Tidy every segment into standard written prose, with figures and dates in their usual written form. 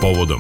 povodom.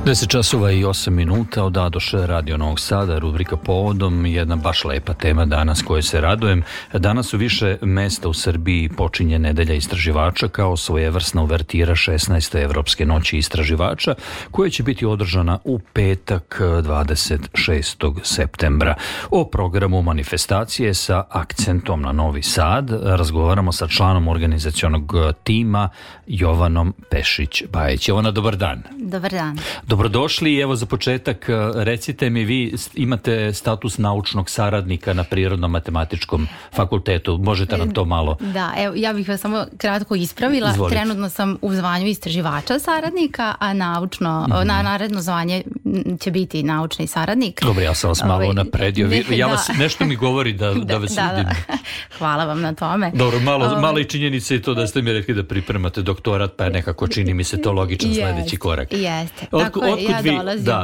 10 časova i 8 minuta od Adoše Radio Novog Sada, rubrika Povodom, jedna baš lepa tema danas koje se radujem. Danas u više mesta u Srbiji počinje nedelja istraživača kao svojevrsna uvertira 16. Evropske noći istraživača koja će biti održana u petak 26. septembra. O programu manifestacije sa akcentom na Novi Sad razgovaramo sa članom organizacionog tima Jovanom Pešić-Bajić. Jovana, dobar dan. Dobar dan. Dobrodošli i evo za početak recite mi, vi imate status naučnog saradnika na Prirodno-matematičkom fakultetu. Možete nam to malo... Da, evo, ja bih vas samo kratko ispravila. Izvolite. Trenutno sam u zvanju istraživača saradnika, a naredno zvanje će biti naučni saradnik. Dobro, ja sam vas malo napredio. Nešto mi govori da vas vidim. Hvala vam na tome. Dobro, malo i činjenica je to da ste mi rekli da pripremate doktorat, pa nekako čini mi se to logičan sledeći korak. Jeste.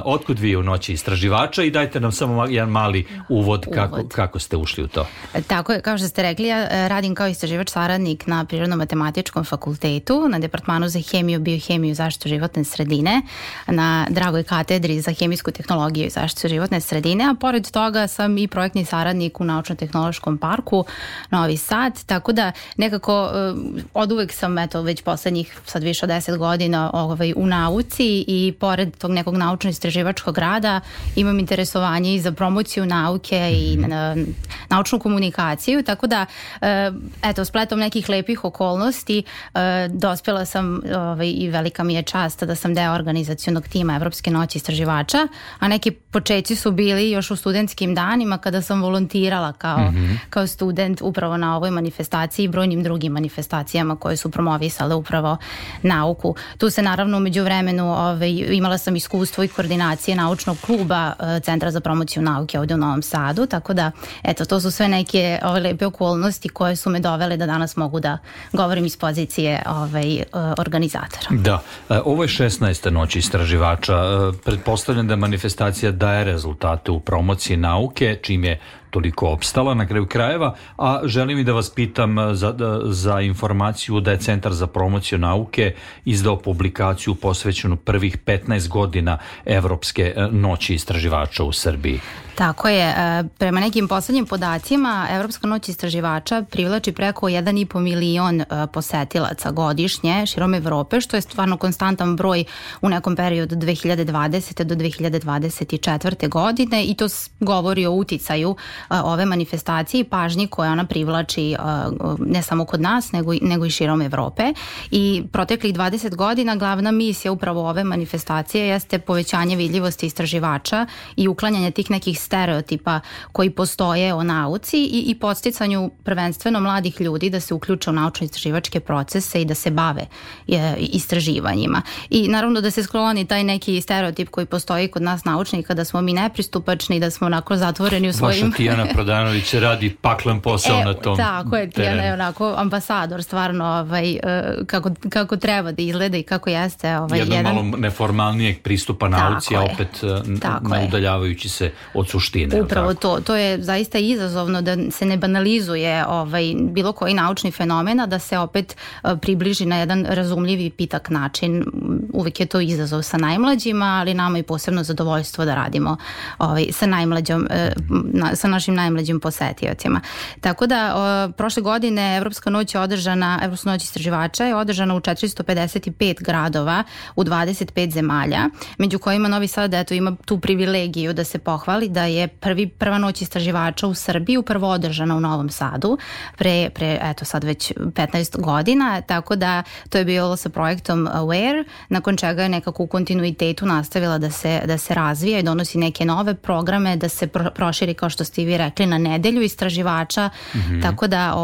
Otkud vi u noći istraživača i dajte nam samo jedan mali uvod. Kako ste ušli u to. Tako je, kao što ste rekli, ja radim kao istraživač saradnik na Prirodno-matematičkom fakultetu, na Departmanu za hemiju, biohemiju i zaštitu životne sredine, na dragoj katedri za hemijsku tehnologiju i zaštitu životne sredine, a pored toga sam i projektni saradnik u Naučno-tehnološkom parku Novi Sad, tako da nekako oduvek sam, već poslednjih sad više od 10 godina u nauci i pored tog nekog naučno-istraživačkog rada imam interesovanje i za promociju nauke i naučnu komunikaciju, tako da spletom nekih lepih okolnosti dospela sam i velika mi je čast da sam deo organizacionog tima Evropske noći istraživača, a neki počeci su bili još u studentskim danima kada sam volontirala kao student upravo na ovoj manifestaciji i brojnim drugim manifestacijama koje su promovisale upravo nauku. Tu se naravno umeđu vremenu imala sam iskustvo i koordinacije naučnog kluba Centra za promociju nauke ovdje u Novom Sadu, tako da to su sve neke lepe okolnosti koje su me dovele da danas mogu da govorim iz pozicije organizatora. Da, ovo je 16. noć istraživača. Pretpostavljam da manifestacija daje rezultate u promociji nauke, čim je toliko opstala na kraju krajeva, a želim i da vas pitam za informaciju da je Centar za promociju nauke izdao publikaciju posvećenu prvih 15 godina Evropske noći istraživača u Srbiji. Tako je. Prema nekim poslednjim podacima, Evropska noć istraživača privlači preko 1,5 milion posetilaca godišnje širom Evrope, što je stvarno konstantan broj u nekom periodu 2020. do 2024. godine i to govori o uticaju ove manifestacije i pažnji koje ona privlači ne samo kod nas, nego i širom Evrope. I proteklih 20 godina glavna misija upravo ove manifestacije jeste povećanje vidljivosti istraživača i uklanjanje tih nekih stereotipa koji postoje o nauci i podsticanju prvenstveno mladih ljudi da se uključe u naučno-istraživačke procese i da se bave istraživanjima. I naravno da se skloni taj neki stereotip koji postoji kod nas naučnika, da smo mi nepristupačni, da smo onako zatvoreni u svojim... Vaša Tijana Prodanović radi paklen posao na tom tako je, Tijana je onako ambasador stvarno kako treba da izgleda i kako jeste jedan malo neformalnijeg pristupa nauci, a opet ne udaljavajući se od suštine. Upravo to je zaista izazovno da se ne banalizuje bilo koji naučni fenomen, a da se opet približi na jedan razumljiv i pitak način. Uvijek je to izazov sa najmlađima, ali nama je posebno zadovoljstvo da radimo sa našim najmlađim posetiocima. Tako da prošle godine Evropska noć istraživača je održana u 455 gradova u 25 zemalja, među kojima Novi Sad ima tu privilegiju da se pohvali da je prva noć istraživača u Srbiji upravo održana u Novom Sadu pre sad već 15 godina, tako da to je bilo sa projektom AWARE, nakon čega je nekako u kontinuitetu nastavila da se razvija i donosi neke nove programe, da se proširi, kao što ste i vi rekli, na nedelju istraživača, tako da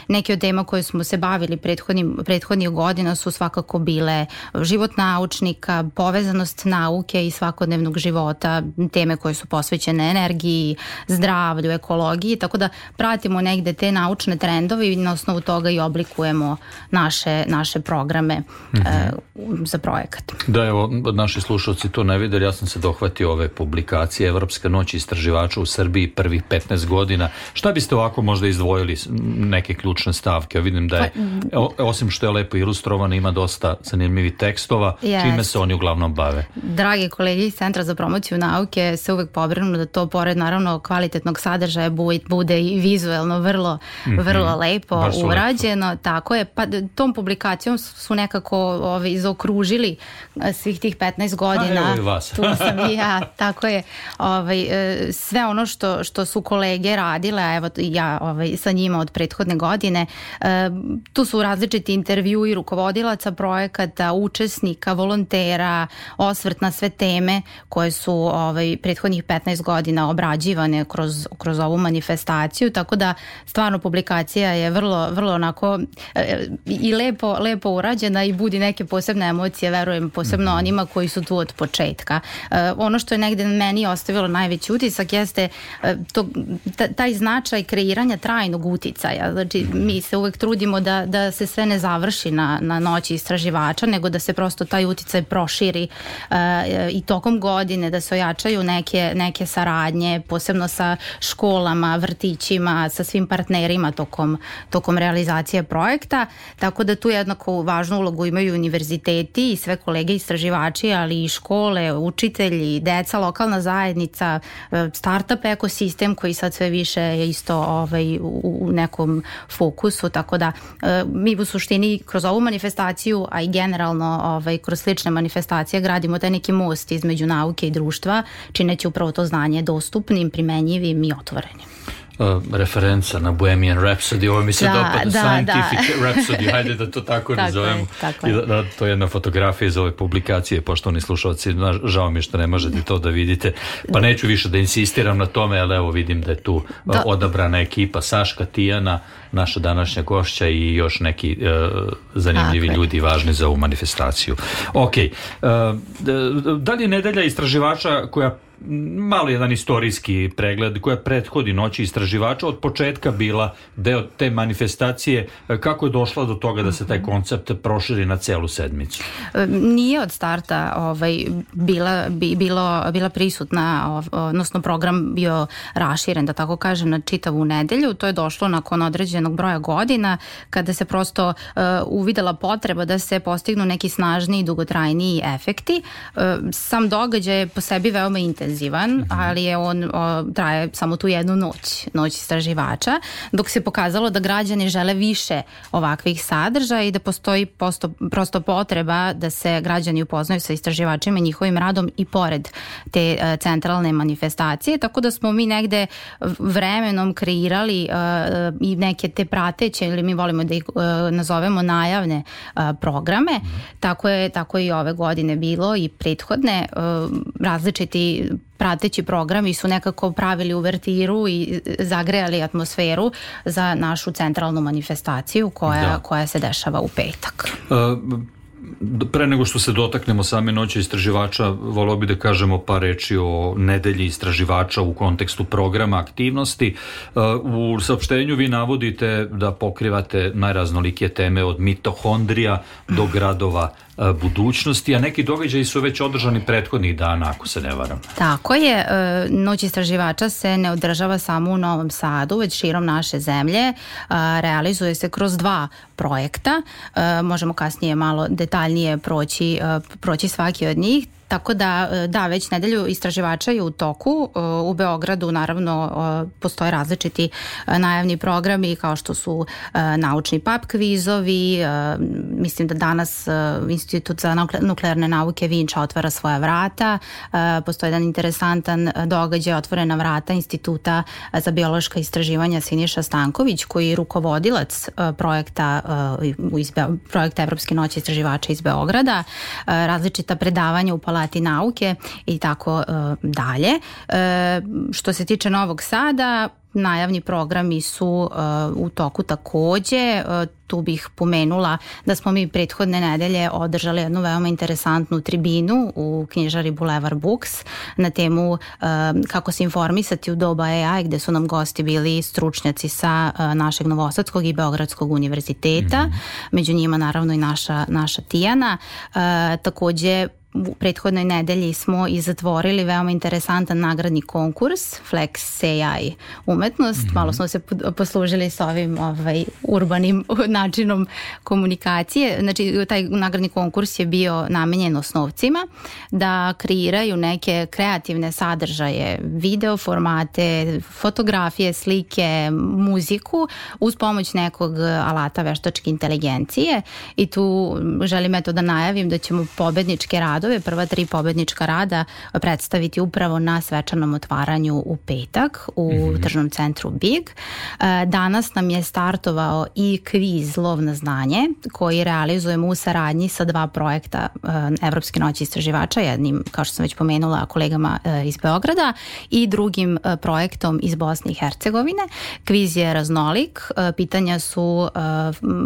neke od tema koje smo se bavili prethodnih godina su svakako bile život naučnika, povezanost nauke i svakodnevnog života, teme koje su posvećene energiji, zdravlju, ekologiji, tako da pratimo negde te naučne trendove i na osnovu toga i oblikujemo naše programe za projekat. Da, evo, naši slušalci to ne videli, ja sam se dohvatio ove publikacije Evropska noć istraživača u Srbiji prvih 15 godina. Šta biste ovako možda izdvojili neke ključne stavke? Vidim da je, osim što je lepo ilustrovano, ima dosta zanimljivih tekstova. Čime se oni uglavnom bave? Dragi kolege iz Centra za promociju nauke se uvek pobrinu da to pored naravno kvalitetnog sadržaja bude i vizuelno vrlo lepo urađeno. Tako je, pa tom publikacijom su nekako zaokružili svih tih 15 godina. Evo i vas. Tu sam i ja, tako je. Sve ono što su kolege radile, a evo ja sa njima od prethodne godine, tu su različiti intervjui rukovodilaca projekata, učesnika, volontera, osvrt na sve teme koje su prethodnih 15 godina obrađivane kroz ovu manifestaciju, tako da stvarno publikacija je vrlo onako i lepo urađena i budi neke posebne emocije, verujem, posebno onima koji su tu od početka. Ono što je negde meni ostavilo najveći utisak jeste taj značaj kreiranja trajnog uticaja. Znači, mi se uvek trudimo da se sve ne završi na noći istraživača, nego da se prosto taj uticaj proširi i tokom godine, da se ojačaju neke saradnje, posebno sa školama, vrtićima, sa svim partnerima tokom realizacije projekta, tako da tu jednako važnu ulogu imaju univerziteti i sve kolege istraživači, ali i škole, učitelji, deca, lokalna zajednica, startup ekosistem koji sad sve više je isto u nekom fokusu, tako da mi u suštini kroz ovu manifestaciju, a i generalno kroz slične manifestacije gradimo taj neki most između nauke i društva, čineći upravo to znanje dostupnim, primenjivim i otvorenim. Referenca na Bohemian Rhapsody, ovo mi se dopada, Scientific Rhapsody, hajde da to tako nazovemo. I da to je jedna fotografija iz ove publikacije, poštovani slušalci, žao mi što ne možete to da vidite, pa neću više da insistiram na tome, ali evo vidim da je tu odabrana ekipa, Saška, Tijana, naša današnja gošća i još neki zanimljivi ljudi važni za ovu manifestaciju. Ok, da li je nedelja istraživača koja malo jedan istorijski pregled koja prethodi noći istraživača od početka bila deo te manifestacije, kako je došla do toga da se taj koncept proširi na celu sedmicu? Nije od starta bila prisutna, odnosno program bio raširen, da tako kažem, na čitavu nedelju. To je došlo nakon određenog broja godina kada se prosto uvidela potreba da se postignu neki snažniji, dugotrajniji efekti. Sam događaj je po sebi veoma intenzivan, ali je on traje samo tu jednu noć istraživača, dok se pokazalo da građani žele više ovakvih sadržaja i da postoji prosto potreba da se građani upoznaju sa istraživačima i njihovim radom i pored te centralne manifestacije, tako da smo mi negde vremenom kreirali i neke te prateće, ili mi volimo da ih nazovemo najavne programe. Tako je i ove godine bilo i prethodne. Različiti prateći programi su nekako pravili uvertiru i zagrejali atmosferu za našu centralnu manifestaciju koja se dešava u petak. Pre nego što se dotaknemo same noći istraživača, voleo bi da kažemo par reči o nedelji istraživača u kontekstu programa aktivnosti. U saopštenju vi navodite da pokrivate najraznolikije teme od mitohondrija do gradova budućnosti, a neki događaji su već održani prethodnih dana, ako se ne varam. Tako je, noć istraživača se ne održava samo u Novom Sadu, već širom naše zemlje. Realizuje se kroz 2 projekta. Možemo kasnije malo detaljnije proći svaki od njih. Tako da, već nedelju istraživača je u toku. U Beogradu naravno postoje različiti najavni programi kao što su naučni pub kvizovi. Mislim da danas Institut za nuklearne nauke Vinča otvara svoja vrata. Postoji jedan interesantan događaj, otvorena vrata Instituta za biološka istraživanja Siniša Stanković, koji je rukovodilac projekta Evropske noći istraživača iz Beograda. Različita predavanja u Palati nauke i tako dalje. Što se tiče Novog Sada, najavni programi su u toku takođe. Tu bih pomenula da smo mi prethodne nedelje održali jednu veoma interesantnu tribinu u knjižari Boulevard Books na temu kako se informisati u doba AI, gde su nam gosti bili stručnjaci sa našeg Novosadskog i Beogradskog univerziteta, među njima naravno i naša Tijana. Takođe u prethodnoj nedelji smo i zatvorili veoma interesantan nagradni konkurs Flex AI umetnost. Malo smo se poslužili s ovim urbanim načinom komunikacije. Znači, taj nagradni konkurs je bio namenjen osnovcima da kreiraju neke kreativne sadržaje, video formate, fotografije, slike, muziku uz pomoć nekog alata veštačke inteligencije. I tu želim da najavim da ćemo pobedničke radove, prva 3 pobednička rada predstaviti upravo na svečanom otvaranju u petak u tržnom centru Big. Danas nam je startovao i kviz Lov na znanje koji realizujemo u saradnji sa 2 projekta Evropske noći istraživača, jednim, kao što sam već pomenula, kolegama iz Beograda i drugim projektom iz Bosne i Hercegovine. Kviz je raznolik, pitanja su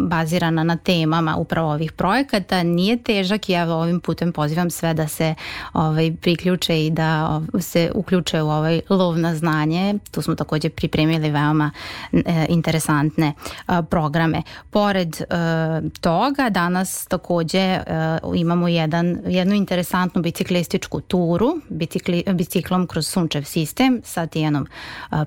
bazirana na temama upravo ovih projekata, nije težak i evo ovim putem pozivam sve da se priključe i da se uključe u ovaj lov na znanje. Tu smo također pripremili veoma interesantne programe. Pored toga danas također imamo jednu interesantnu biciklističku turu biciklom kroz Sunčev sistem sa Tijanom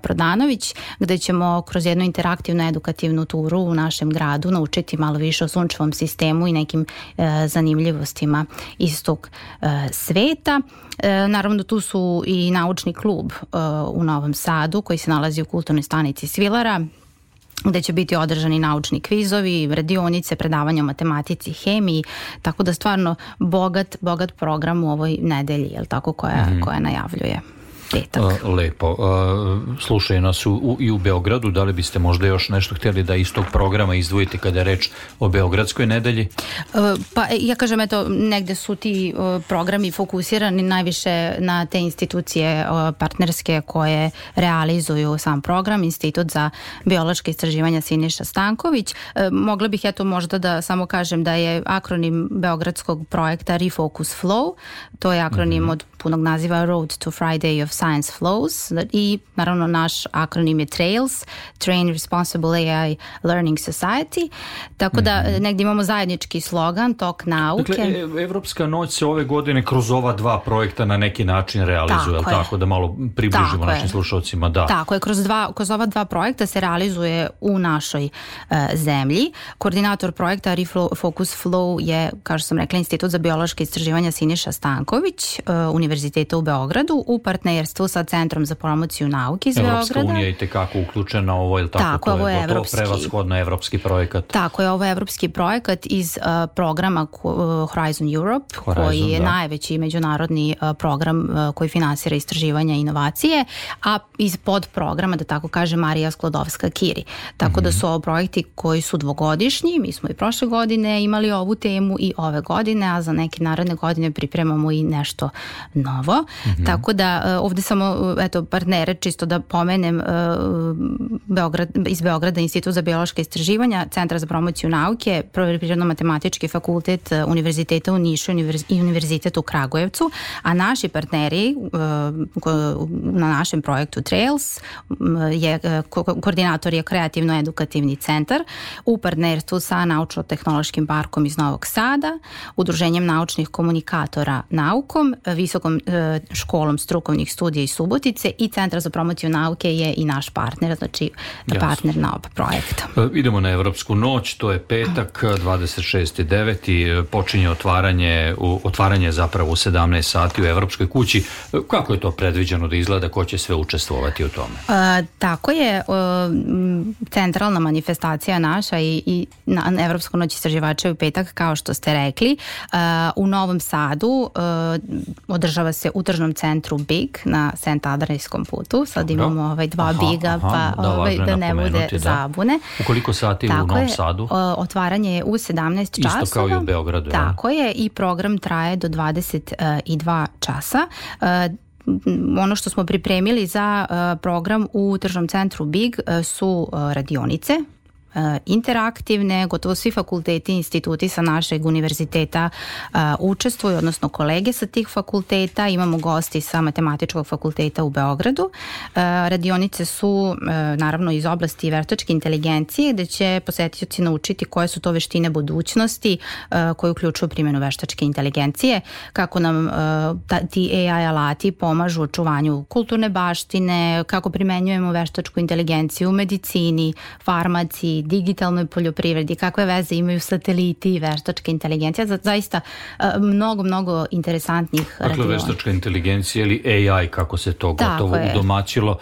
Prodanović, gde ćemo kroz jednu interaktivnu edukativnu turu u našem gradu naučiti malo više o Sunčevom sistemu i nekim zanimljivostima iz tog sveta. Naravno, tu su i naučni klub u Novom Sadu koji se nalazi u kulturnoj stanici Svilara, gde će biti održani naučni kvizovi, radionice, predavanja o matematici, hemiji, tako da stvarno bogat program u ovoj nedelji, jel tako, koja najavljuje petak. Lepo. Slušaju nas i u Beogradu. Da li biste možda još nešto htjeli da iz tog programa izdvojite kada je reč o Beogradskoj nedelji? Pa ja kažem, negde su ti programi fokusirani najviše na te institucije partnerske koje realizuju sam program, Institut za biološke istraživanja Siniša Stanković. Mogla bih možda da samo kažem da je akronim beogradskog projekta Refocus Flow. To je akronim od punog naziva Road to Friday of Science Flows i naravno naš akronim je TRAILS, Train Responsible AI Learning Society, tako da negdje imamo zajednički slogan, tok nauke. Dakle, Evropska noć se ove godine kroz ova 2 projekta na neki način realizuje, tako da malo približimo našim slušalcima. Da. Tako je, kroz ova 2 projekta se realizuje u našoj zemlji. Koordinator projekta Refocus Flow je, kao što sam rekla, Institut za biološke istraživanja Siniša Stanković, Univerziteta u Beogradu, u partnerstvu sa Centrom za promociju nauke iz Beograda. Evropska unija je itekako uključena, ovo je tako, ovo je prevashodno evropski projekat. Tako je, ovo je evropski projekat iz programa Horizon Europe, koji je najveći međunarodni program koji finansira istraživanja i inovacije, a iz podprograma, da tako kaže, Marija Sklodovska-Curie. Tako da su ovo projekti koji su dvogodišnji, mi smo i prošle godine imali ovu temu i ove godine, a za neke naredne godine pripremamo i nešto novo. Tako da ovdje samo partnere, čisto da pomenem, iz Beograda Institut za biološke istraživanja, Centra za promociju nauke, Prirodno-matematički fakultet Univerziteta u Nišu i Univerzitet u Kragujevcu, a naši partneri na našem projektu TRAILS koordinator je Kreativno-edukativni centar u partnerstvu sa Naučno-tehnološkim parkom iz Novog Sada, Udruženjem naučnih komunikatora naukom, Visokom školom strukovnih studija iz Subotice i Centar za promociju nauke je i naš partner, znači partner na oba projekta. Idemo na Evropsku noć, to je petak, 26.9. Počinje otvaranje zapravo u 17 sati u Evropskoj kući. Kako je to predviđeno da izgleda, ko će sve učestvovati u tome? Tako je, centralna manifestacija naša i na Evropsku noć istraživača u petak, kao što ste rekli. U Novom Sadu održava se u tržnom centru Big na St. Adrijskom putu. Sad imamo 2 Biga, da ne bude zabune. U koliko sati u Novom Sadu? Otvaranje je u 17 časova. Isto kao i u Beogradu. Tako je, i program traje do 22 časa. Ono što smo pripremili za program u tržnom centru Big su radionice, interaktivne, gotovo svi fakulteti i instituti sa našeg univerziteta učestvuju, odnosno kolege sa tih fakulteta, imamo gosti sa Matematičkog fakulteta u Beogradu. Radionice su naravno iz oblasti veštačke inteligencije, gde će posetioci naučiti koje su to veštine budućnosti koje uključuju primjenu veštačke inteligencije, kako nam ti AI alati pomažu u očuvanju kulturne baštine, kako primenjujemo veštačku inteligenciju u medicini, farmaciji, digitalnoj poljoprivredi, kakve veze imaju sateliti i veštačka inteligencija. Zaista mnogo interesantnih radionica. Dakle, veštačka inteligencija ili AI, kako se to gotovo udomaćilo,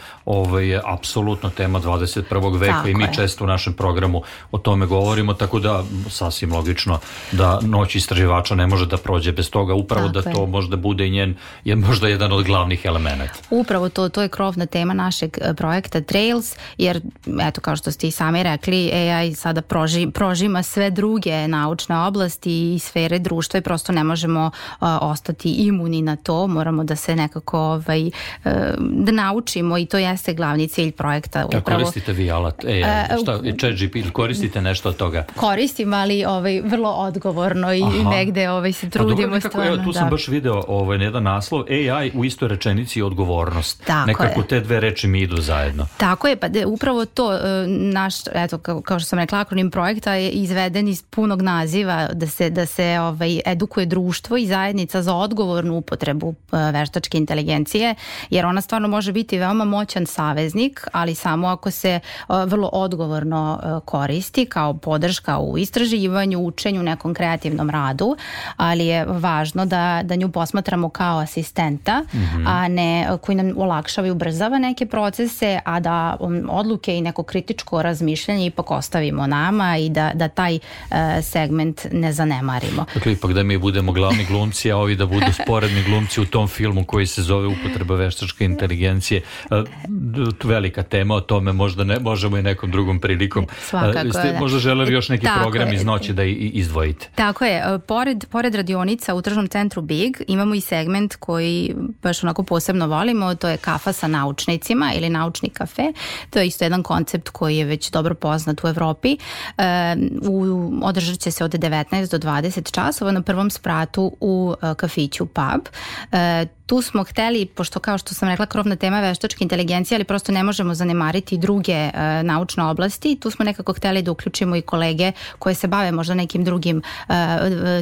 je apsolutno tema 21. veka i mi često u našem programu o tome govorimo, tako da sasvim logično da noć istraživača ne može da prođe bez toga, upravo da to možda bude i možda jedan od glavnih elemenata. Upravo to je krovna tema našeg projekta Trails, jer eto, kao što ste i sami rekli, AI sada prožima sve druge naučne oblasti i sfere društva i prosto ne možemo ostati imuni na to, moramo da se nekako da naučimo i to jeste glavni cilj projekta. Da koristite vi alat AI, ChatGPT, koristite nešto od toga? Koristim, ali vrlo odgovorno i negde se trudimo stvarno. Tu sam baš video jedan naslov, AI u istoj rečenici odgovornost. Nekako te dve reči mi idu zajedno. Tako je, pa upravo to naš, eto, kao što sam rekla, akronim projekta je izveden iz punog naziva da se edukuje društvo i zajednica za odgovornu upotrebu veštačke inteligencije, jer ona stvarno može biti veoma moćan saveznik, ali samo ako se vrlo odgovorno koristi kao podrška u istraživanju, učenju, nekom kreativnom radu, ali je važno da nju posmatramo kao asistenta, a ne koji nam olakšava i ubrzava neke procese, a da odluke i neko kritičko razmišljanje ipak ostavimo nama i da taj segment ne zanemarimo. Dakle, ipak da mi budemo glavni glumci, a ovi da budu sporedni glumci u tom filmu koji se zove Upotreba veštačke inteligencije. Velika tema, o tome možda ne možemo i nekom drugom prilikom. Ste možda želeli još neki program iz noći da izdvojite? Tako je. Pored radionica u tržnom centru Big imamo i segment koji baš onako posebno volimo, to je kafa sa naučnicima ili naučni kafe. To je isto jedan koncept koji je već dobro poznat u Evropi. Održat će se od 19 do 20 časova na prvom spratu u kafiću Pub. Tu smo hteli, pošto kao što sam rekla, krovna tema veštačke inteligencije, ali prosto ne možemo zanemariti druge naučne oblasti. Tu smo nekako hteli da uključimo i kolege koje se bave možda nekim drugim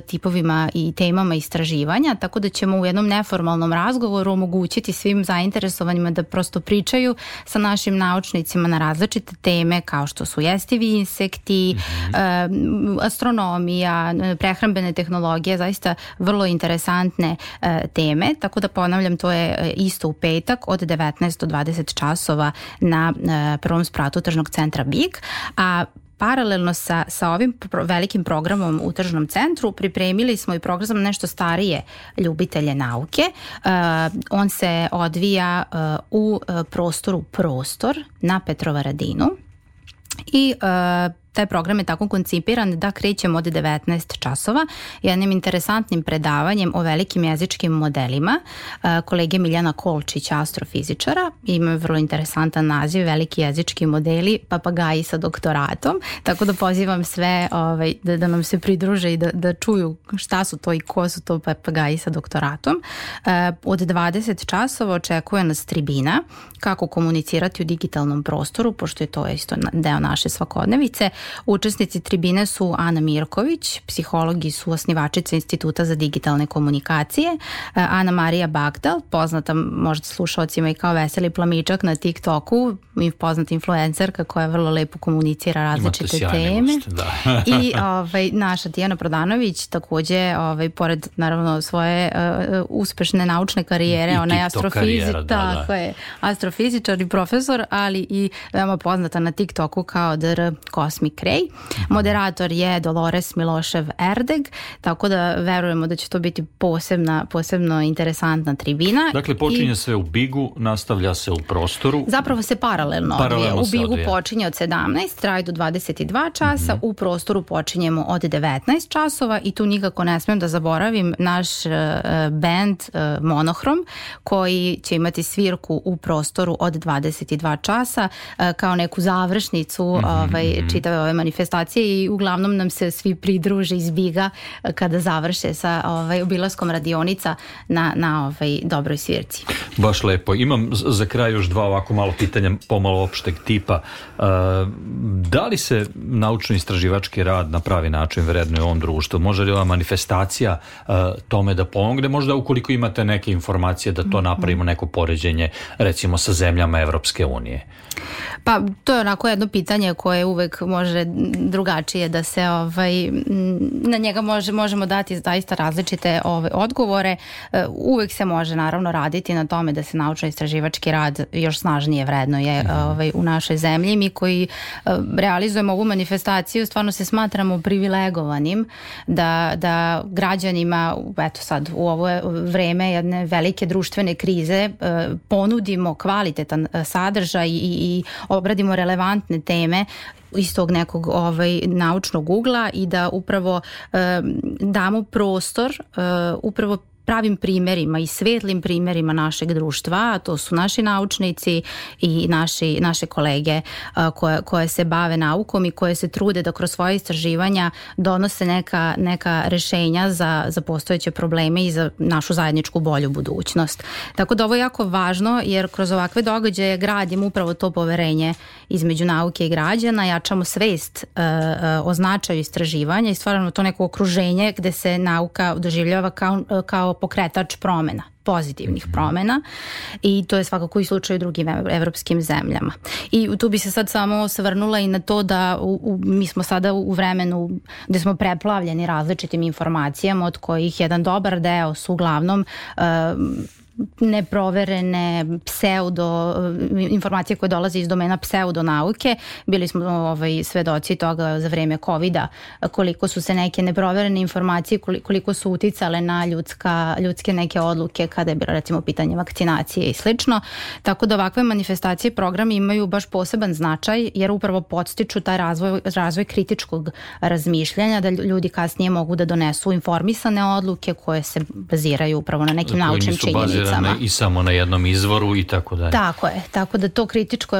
tipovima i temama istraživanja, tako da ćemo u jednom neformalnom razgovoru omogućiti svim zainteresovanima da prosto pričaju sa našim naučnicima na različite teme kao što su jestivi insekti, astronomija, prehrambene tehnologije, zaista vrlo interesantne teme, tako da ponavljam, to je isto u petak od 19 do 20 časova na prvom spratu tržnog centra Big, a paralelno sa ovim velikim programom u tržnom centru pripremili smo i program za nešto starije ljubitelje nauke. On se odvija u prostoru Prostor na Petrovaradinu i taj program je tako koncipiran da krećemo od 19 časova jednim interesantnim predavanjem o velikim jezičkim modelima kolege Miljana Kolčića, astrofizičara. Ima vrlo interesantan naziv, veliki jezički modeli, papagaji sa doktoratom, tako da pozivam sve da nam se pridruže i da čuju šta su to i ko su to papagaji sa doktoratom. Od 20 časova očekuje nas tribina, kako komunicirati u digitalnom prostoru, pošto je to isto deo naše svakodnevice. Učesnici tribine su Ana Mirković, psiholog i suosnivačica Instituta za digitalne komunikacije, Ana Marija Bagdal, poznata možda slušalcima i kao Veseli plamičak na TikToku, poznata influencerka koja vrlo lepo komunicira različite teme. I naša Tijana Prodanović, takođe, pored naravno svoje uspešne naučne karijere, ona je astrofizičar i profesor, ali i veoma poznata na TikToku kao Dr. Cosmic Ray. Moderator je Dolores Milošev Erdeg, tako da verujemo da će to biti posebno interesantna tribina. Dakle, počinje sve u Bigu, nastavlja se u Prostoru. Zapravo se paralelno odvija. U Bigu počinje od 17, traje do 22 časa, u Prostoru počinjemo od 19 časova i tu nikako ne smijem da zaboravim naš band Monohrom, koji će imati svirku u Prostoru od 22 časa kao neku završnicu čitave ove manifestacije i uglavnom nam se svi pridruže iz Biga kada završe sa obilaskom radionica na dobroj svirci. Baš lepo. Imam za kraj još dva ovako malo pitanja, pomalo opšteg tipa. Da li se naučno-istraživački rad na pravi način vrednuje u ovom društvu? Može li ova manifestacija tome da pomogne? Možda ukoliko imate neke informacije da to napravimo neko poređenje recimo sa zemljama Evropske unije. Pa to je onako jedno pitanje koje uvek može drugačije da se na njega možemo dati zaista različite odgovore. Uvek se može naravno raditi na tome da se naučno-istraživački rad još snažnije vrednuje u našoj zemlji. Mi koji realizujemo ovu manifestaciju stvarno se smatramo privilegovanim da građanima, eto sad u ovo vreme jedne velike društvene krize, ponudimo kvalitetan sadržaj i obradimo relevantne teme iz tog nekog naučnog ugla i da upravo damo prostor upravo pravim primjerima i svetlim primjerima našeg društva, a to su naši naučnici i naše kolege koje se bave naukom i koje se trude da kroz svoje istraživanja donose neka rešenja za postojeće probleme i za našu zajedničku bolju budućnost. Tako da ovo je jako važno jer kroz ovakve događaje gradimo upravo to poverenje između nauke i građana, jačamo svest o značaju istraživanja i stvaramo to neko okruženje gde se nauka doživljava kao pokretač promena, pozitivnih promena i to je svakako i slučaj u drugim evropskim zemljama. I tu bi se sad samo osvrnula i na to da mi smo sada u vremenu gde smo preplavljeni različitim informacijama od kojih jedan dobar deo su uglavnom neproverene informacije koje dolaze iz domena pseudonauke. Bili smo svedoci toga za vreme COVID-a, koliko su se neke neproverene informacije, koliko su uticale na ljudske neke odluke kada je bilo recimo pitanje vakcinacije i slično. Tako da ovakve manifestacije i programi imaju baš poseban značaj jer upravo podstiču taj razvoj kritičkog razmišljanja, da ljudi kasnije mogu da donesu informisane odluke koje se baziraju upravo na nekim naučnim činjenicama. I samo na jednom izvoru i tako dalje. Tako je, tako da to kritičko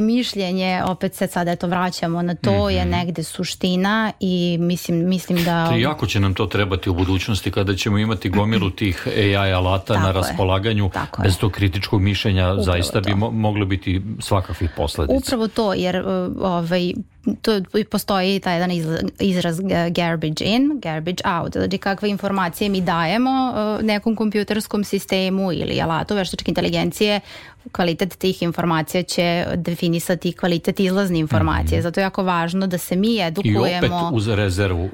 mišljenje, opet se sad vraćamo na to, je negde suština i mislim da... Jako će nam to trebati u budućnosti kada ćemo imati gomilu tih AI alata na raspolaganju. Bez tog kritičkog mišljenja upravo zaista bi moglo biti svakakvih posledica. Upravo to, jer to postoji taj jedan izraz garbage in, garbage out. Znači kakve informacije mi dajemo nekom kompjuterskom sistemu ili alatu veštačke inteligencije, kvalitet tih informacija će definisati kvalitet izlazne informacije. Zato je jako važno da se mi edukujemo. I opet uz rezervu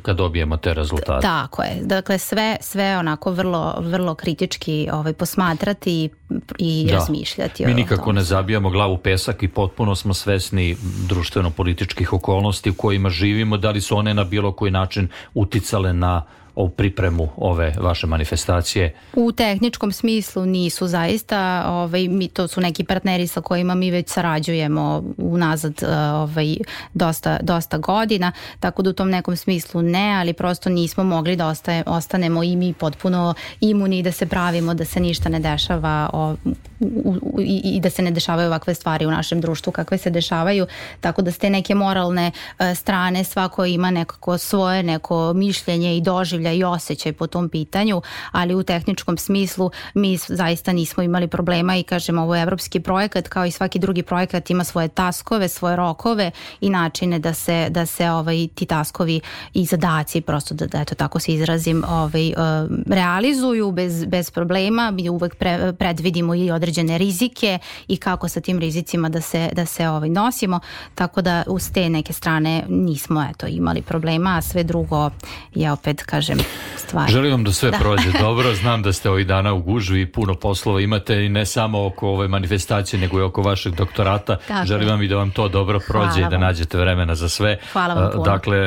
kad dobijemo te rezultate. Tako je. Dakle, sve onako vrlo, vrlo kritički posmatrati i razmišljati. Mi nikako ne zabijamo glavu u pesak i potpuno smo svesni društveno-političkih okolnosti u kojima živimo, da li su one na bilo koji način uticale na o pripremu ove vaše manifestacije? U tehničkom smislu nisu zaista, to su neki partneri sa kojima mi već sarađujemo unazad dosta godina, tako da u tom nekom smislu ne, ali prosto nismo mogli da ostanemo i mi potpuno imuni i da se pravimo da se ništa ne dešava i da se ne dešavaju ovakve stvari u našem društvu kakve se dešavaju, tako da s te neke moralne strane svako ima nekako svoje neko mišljenje i doživlja i osjećaj po tom pitanju, ali u tehničkom smislu mi zaista nismo imali problema i kažem, ovo je evropski projekat, kao i svaki drugi projekat ima svoje taskove, svoje rokove i načine da se ti taskovi i zadaci, prosto da eto tako se izrazim, realizuju bez problema. Mi uvek predvidimo i određene rizike i kako sa tim rizicima da se nosimo, tako da uz te neke strane nismo imali problema, a sve drugo je opet, kažem, stvar. Želim vam da sve prođe dobro. Znam da ste ovih dana u gužvi i puno poslova imate i ne samo oko ove manifestacije, nego i oko vašeg doktorata. Želim vam i da vam to dobro prođe i da nađete vremena za sve. Hvala vam puno. Dakle,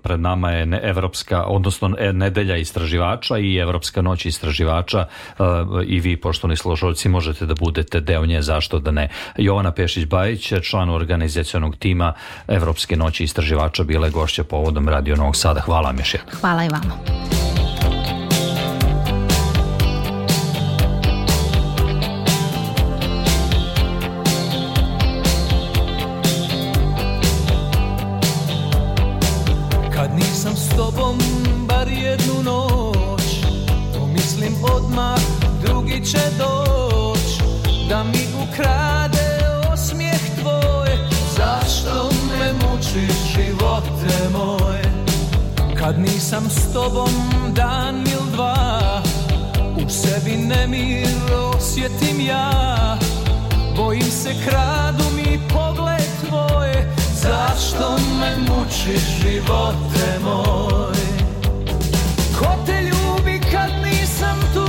pred nama je evropska, odnosno nedelja istraživača i Evropska noć istraživača i vi, poštovani slušalci, možete da budete deo nje, zašto da ne. Jovana Pešić-Bajić, član organizacionog tima Evropske noći istraživača, bila je gošća povodom Radio Novog Sada. Hvala vam još jednom. Hvala i vama. Kad nisam s tobom bar jednu noć, pomislim odmah drugi će doć da mi ukrade osmijeh tvoj. Zašto me mučiš, živote moj? Kad nisam s tobom dan il dva, u sebi nemir osjetim ja. Bojim se, kradu mi pogled tvoj. Zašto me mučiš, živote moj? Ko te ljubi kad nisam tu?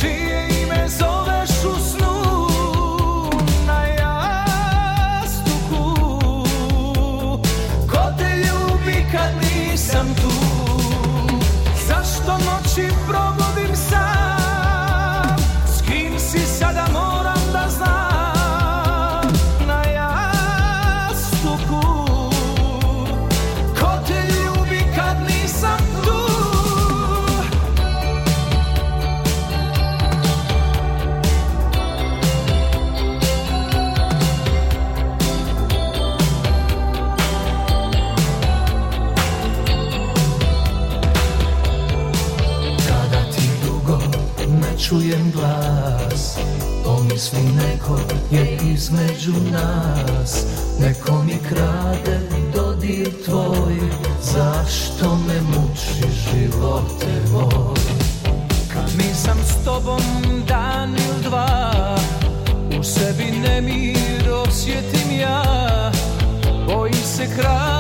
Čije ime zoveš u snu? Na jastuku. Ko te ljubi kad nisam tu? Zašto noći probudim sam? S kim si sada moram da znam? Na jastuku. Ko te ljubi kad nisam tu? Kada ti dugo ne čujem glas, pomisli neko je između nas. Neko mi krade dodir tvoj. Zašto me muči, živote moj? Kad nisam s tobom dan il dva, u sebi nemir osjetim ja. Bojim se, krade